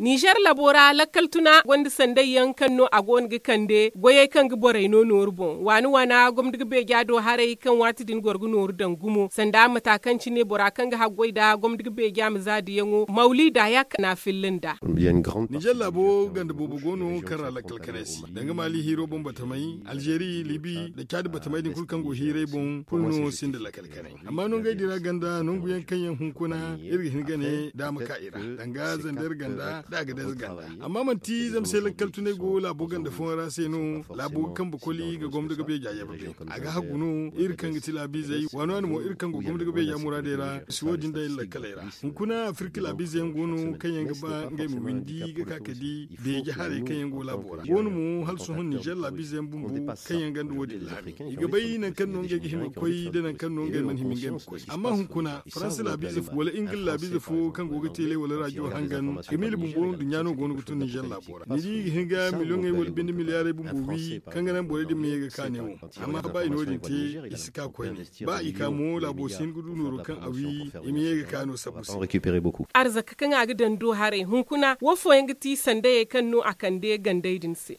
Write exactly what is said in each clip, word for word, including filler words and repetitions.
Ninzeer labo ra lakkal tuna gonda sanday yaŋ kaŋ no a go no ga kande goyey kaŋ ga borey no nooru boŋ waani waana gomdi ga beeja do haray kaŋ waati din goro ga nooru daŋ gumo sanda mata kaŋ cine bora kaŋ ga haggoy nda gomdi ga beeja ma zaadiyaŋo mawliida ya kaŋ a filla nda. Ninzeer laabo ganda boobo go no kaŋ ra lakkal kanay se danga maali hiiro boŋ batamay alzeeri libi nda caadi batamay din kulu kaŋ go hiiray boŋ kulu no sinda lakkal kanay. Amma nongey din ra ganda nangu yaŋ kaŋ yaŋ hunkuna iri ga hin ga ne da a ma ka i ra danga zander ganda da a ga dayze ganda. Amma manti zama se lakkal tunay go laabo ganda fooyaŋ ra se no laabo ga kambe koli ga gomdo ga beeja yabe bay. A ga hagu no iri kaŋ ga ti laabiizey waani waani mo iri kaŋ go gomdo ga beeja muraadey ra si wo- din day lakkaley ra. Hunkuna afirka laabiizey yaŋ go no kaŋ yaŋ ga ba ngey ma windi ga ka ka di beeje haray kaŋ yaŋ go laabo ra go no mo hala sohõ ninzeer laabiizey yaŋ bumbo kaŋ yaŋ ganda wo- din laami i ga bay nangu kaŋ no ngey ga hima ga koy nda nangu kaŋ no ngey mana hima ngey ma koy. Amma hunkuna faransa laabiize fo wala ingila laabiize fo kaŋ go ga teele wala raajo hangan ga miila bumbo nduɲɲa no go no ga tun ninzeer laabo ra ni di i ga hin ga miliyoŋey wala binde miliyaarey bumbo wi kaŋ ga naŋ borey din ma ye ga ka ne wo. Amma ba i no- din te i si ka koyne ba i ka mo laabo si hin ga du nooro kaŋ a wi i ma ye ga ka no sabbu se. Arzaka kaŋ a ga daŋ do haray hunkuna wo fooyaŋ ga ti sandayey kaŋ no a kande gandey din se.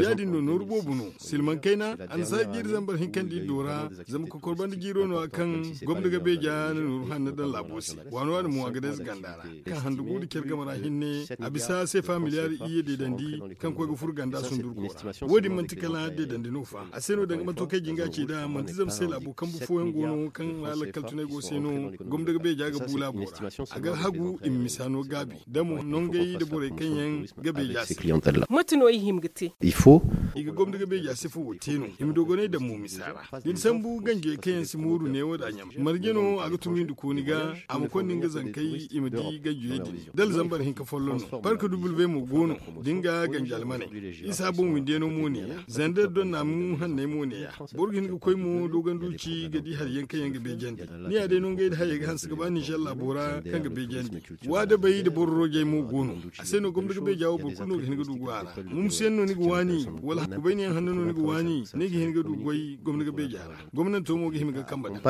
Ya- din no nooru boobo no silmaŋ kayna annasaara jiiri zambar hinka nda iddo ra. Zama kokor banda jiiro no- ya kaŋ gomdo ga beeja na nooru hanno daŋ laabo se waano waano mo a ga dayze ganda ra kaŋ handu guuru care game ra hinne a bisa seefa miliyaari iyye deedandi kaŋ koy ga furo ganda sundurgo ra. Wo- din manti kala deedandi no fa a se no danga manto kaŋ ay jin ga a ci nd'a manti zama se laabo kambu fooyaŋ go no kaŋ ra lakkal tunay go se no gomdo ga beeja ga bu laabo ra. A ga hagu i ma misa no gaabi da mo nongey nda borey kaŋ yaŋ ga beeja se. Mate no i hima ga te? I ga gomdo ga beeja se fo wo te no i ma dogonay daŋ mo misa ra. Da ni sambu ganjey kaŋ yaŋ si mooru neewo da ɲam marje no a ga tumi nda kooni ga a ma konda nga zankey i ma di ganjey din da alzambar hinka folloŋ no barka duble mo go no da nga ganja almaney isa boŋ windiyano mo ne ya zander don naamu hanney mo ne ya. Boro ga hin ga koy mo dogonduci ga di hari yaŋ kaŋ yaŋ ga beejandi ni ya day no ngey nda hayey ga hanse ga ba ninzeer laabo ra kaŋ ga beejandi. Waadabey nda boro roojey mo go no a se no gomdo ga beeja wo boro kulu no ga hin ga du go a ra. Mumsuyaŋ no ni ga waani wala kubayniyaŋ hanno no ni ga waani ni ga hin ga du goy gomdo ga beeja ra. Gomnanto mo ga hima ga kambe daŋ.